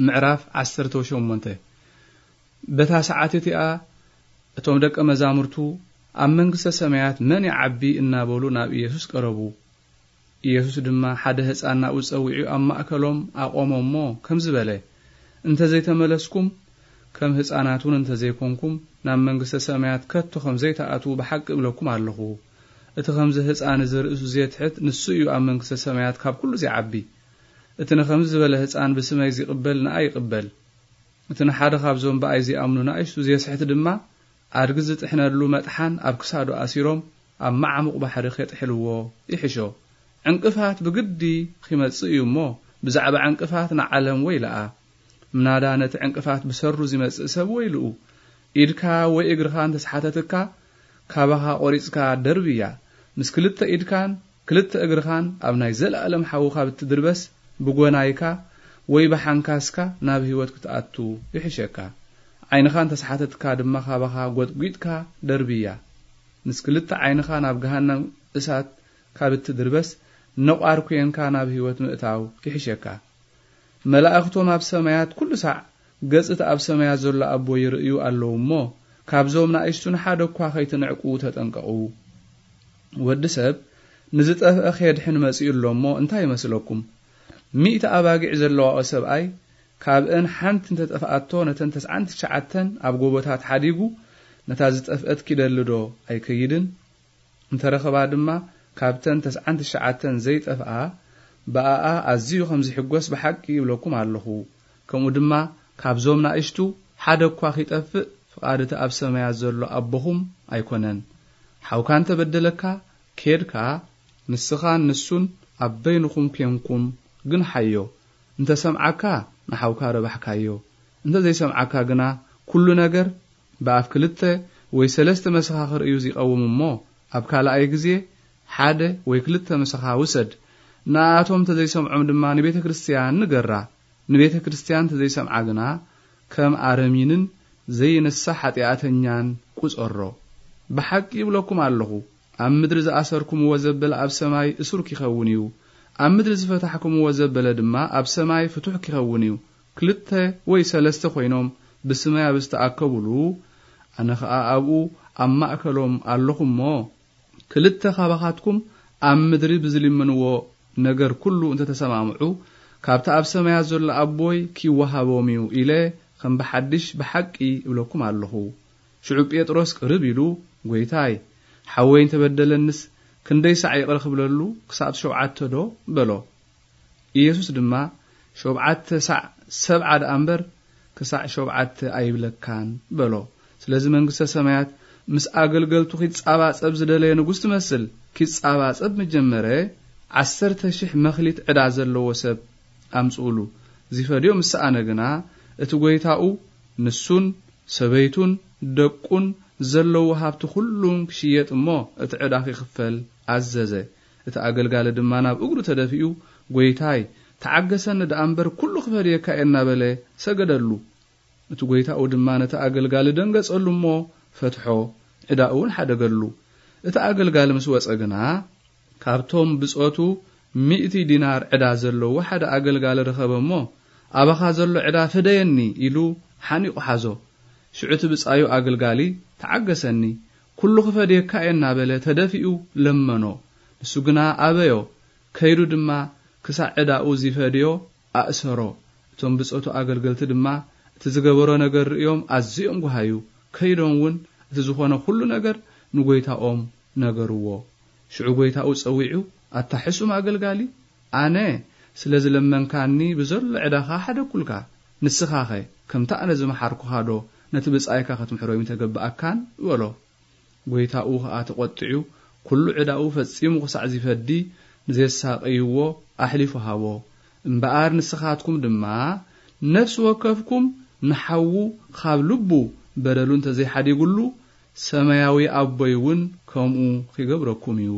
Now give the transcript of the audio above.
ምዕራፍ ዓሰርተ ሸሞንተ። በታ ሰዓት እቲኣ እቶም ደቀ መዛሙርቱ፣ "ኣብ መንግስተ ሰማያት መን ይዓቢ?" እናበሉ ናብ ኢየሱስ ቀረቡ። ኢየሱስ ድማ ሓደ ህፃን ናብኡ ጸዊዑ ኣብ ማእከሎም ኣቆሞ እሞ ከምዚ በለ፣ "እንተ ዘይተመለስኩም፣ ከም ህፃናት እውን እንተ ዘይኮንኩም፣ ናብ መንግስተ ሰማያት ከቶ ከም ዘይትኣትዉ ብሓቂ እብለኩም ኣለኹ። እቲ ከምዚ ህፃን እዚ ርእሱ ዜትሕት፣ ንሱ እዩ ኣብ መንግስተ ሰማያት ካብ ኩሉ ዚዓቢ። እቲ ንኸምዚ ዝበለ ህፃን ብስመይ ዚቕበል ንኣይ ይቕበል። እቲ ንሓደ ካብዞም ብኣይ ዚኣምኑ ንኣሽቱ ዜስሕት ድማ፣ ኣድጊ ዚጥሕነሉ መጥሓን ኣብ ክሳዱ ኣሲሮም ኣብ መዓሙቕ ባሕሪ ኼጥሕልዎ ይሕሾ። ዕንቅፋት ብግዲ ኺመጽእ እዩ እሞ፣ ብዛዕባ ዕንቅፋት ንዓለም ወይለኣ። ምናዳ ነቲ ዕንቅፋት ብሰሩ ዚመጽእ ሰብ ወይልኡ። ኢድካ ወይ እግርኻ እንተ ሰሓተትካ፣ ካባኻ ቖሪጽካ ደርብያ። ምስ ክልተ ኢድካን ክልተ እግርኻን ኣብ ናይ ዘለኣለም ሓዊ ካብ እትድርበስ፣ ብጎናይካ ወይ ብሓንካስካ ናብ ህይወት ክትኣቱ ይሕሸካ። ዓይንኻ እንተ ሰሓተትካ ድማ፣ ካባኻ ጐጥጒጥካ ደርብያ። ምስ ክልተ ዓይንኻ ናብ ገሃነም እሳት ካብ እትድርበስ፣ ነቋር ኲንካ ናብ ህይወት ምእታው ይሕሸካ። መላእኽቶም ኣብ ሰማያት ኩሉ ሳዕ ገጽ እቲ ኣብ ሰማያት ዘሎ ኣቦ ይርእዩ ኣለዉ እሞ፣ ካብዞም ንኣሽቱ ንሓደ እኳ ኸይትንዕቁ ተጠንቀቑ። ወዲ ሰብ ንዝጠፍአ ኼድሕን መጺኡ ኣሎ እሞ፣ እንታይ ይመስለኩም? ሚእቲ ኣባጊዕ ዘለዋኦ ሰብኣይ፣ ካብአን ሓንቲ እንተ ጠፍኣቶ፣ ነተን ተስዓን ትሽዓተን ኣብ ጎቦታት ሓዲጉ፣ ነታ ዝጠፍአት ኪደሊ ዶ ኣይከይድን? እንተ ረኸባ ድማ፣ ካብተን ተስዓን ትሽዓተን ዘይጠፍኣ፣ ብኣኣ ኣዝዩ ኸም ዚሕጐስ ብሓቂ እብለኩም ኣለኹ። ከምኡ ድማ፣ ካብዞም ናእሽቱ ሓደ እኳ ኺጠፍእ፣ ፍቓድ እቲ ኣብ ሰማያት ዘሎ ኣቦኹም ኣይኮነን። ሓውካ እንተ በደለካ፣ ኬድካ፣ ንስኻን ንሱን ኣብ በይንኹም ኬንኩም ግንሓዮ። እንተ ሰምዓካ፣ ንሓውካ ረባሕካዮ። እንተ ዘይሰምዓካ ግና፣ ኩሉ ነገር ብኣፍ ክልተ ወይ ሰለስተ መሰኻኽር እዩ ዚቐውም እሞ፣ ኣብ ካልኣይ ግዜ ሓደ ወይ ክልተ ምሳኻ ውሰድ። ንኣኣቶም እንተ ዘይሰምዖም ድማ ንቤተ ክርስትያን ንገራ። ንቤተ ክርስትያን እንተ ዘይሰምዓ ግና፣ ከም ኣረሚንን ዘይንሳሕ ሓጢኣተኛን ቁጸሮ። ብሓቂ ይብለኩም ኣለኹ፣ ኣብ ምድሪ ዝኣሰርኩምዎ ዘበለ ኣብ ሰማይ እሱር ኪኸውን እዩ፣ ኣብ ምድሪ ዝፈታሕኩምዎ ዘበለ ድማ ኣብ ሰማይ ፍቱሕ ኪኸውን እዩ። ክልተ ወይ ሰለስተ ኮይኖም ብስመይ ኣብ ዝተኣከቡሉ፣ ኣነ ኸኣ ኣብኡ ኣብ ማእከሎም ኣለኹ እሞ፣ ክልተ ኻባኻትኩም ኣብ ምድሪ ብዝልምንዎ ነገር ኩሉ እንተ ተሰማምዑ፣ ካብቲ ኣብ ሰማያት ዘሎ ኣቦይ ኪወሃቦም እዩ ኢለ ኸም ብሓድሽ ብሓቂ እብለኩም ኣለኹ። ሽዑ ጴጥሮስ ቅርብ ኢሉ፣ "ጐይታይ፣ ሓወይ እንተ በደለንስ ክንደይ ሳዕ ይቕረ ክብለሉ? ክሳብ ሸውዓተ ዶ?" በሎ። ኢየሱስ ድማ፣ "ሸውዓተ ሳዕ ሰብዓ ደኣ እምበር፣ ክሳዕ ሸውዓተ ኣይብለካን" በሎ። ስለዚ መንግስተ ሰማያት ምስ ኣገልገልቱ ኪጻባጸብ ዝደለየ ንጉስ ትመስል። ኪጻባጸብ መጀመረ፣ "ዓሰርተ ሽሕ መኽሊት ዕዳ ዘለዎ ሰብ ኣምጽኡሉ። ዚፈድዮ ምስ ሰኣነ ግና፣ እቲ ጐይታኡ ንሱን ሰበይቱን ደቁን ዘለዎ ሃብቲ ኩሉን ክሽየጥ እሞ፣ እቲ ዕዳ ኺኽፈል ኣዘዘ። እቲ ኣገልጋሊ ድማ ናብ እግሩ ተደፊኡ፣ ጐይታይ፣ ተዓገሰኒ ደኣ እምበር፣ ኩሉ ክፈድየካ እየ" እናበለ ሰገደሉ። እቲ ጐይታኡ ድማ ነቲ ኣገልጋሊ ደንገጸሉ እሞ፣ ፈትሖ፣ ዕዳኡ እውን ሓደገሉ። እቲ ኣገልጋሊ ምስ ወጸ ግና፣ ካብቶም ብጾቱ ሚእቲ ዲናር ዕዳ ዘለዎ ሓደ ኣገልጋሊ ረኸበ እሞ፣ "ኣባኻ ዘሎ ዕዳ ፍደየኒ" ኢሉ ሓኒቑ ሓዞ። ሽዑ እቲ ብጻዩ ኣገልጋሊ፣ "ተዓገሰኒ፣ ኩሉ ክፈድየካ እየ" እናበለ ተደፊኡ ለመኖ። ንሱ ግና ኣበዮ። ከይዱ ድማ ክሳዕ ዕዳኡ ዚፈድዮ ኣእሰሮ። እቶም ብጾቱ ኣገልገልቲ ድማ እቲ ዝገበሮ ነገር ርእዮም ኣዝዮም ጓሃዩ። ከይዶም እውን እቲ ዝኾነ ኩሉ ነገር ንጐይታኦም ነገርዎ። ሽዑ ጐይታኡ ጸዊዑ፣ "ኣታ ሕሱም ኣገልጋሊ፣ ኣነ ስለ ዝለመንካኒ ብዘሎ ዕዳኻ ሓደግኩልካ። ንስኻኸ ከምቲ ኣነ ዝመሓርኩኻዶ ነቲ ብጻይካ ክትምሕሮ ኣይምተገብኣካን?" በሎ። ጐይታኡ ኸኣ ተቖጢዑ፣ ኩሉ ዕዳኡ ፈጺሙ ኽሳዕ ዚፈዲ ንዜሳቐይዎ ኣሕሊፉ ሃቦ። እምበኣር ንስኻትኩም ድማ ነፍሲ ወከፍኩም ንሓዉ ኻብ ልቡ በደሉ እንተ ዘይሓዲጉሉ፣ ሰማያዊ ኣቦይ እውን ከምኡ ኺገብረኩም እዩ።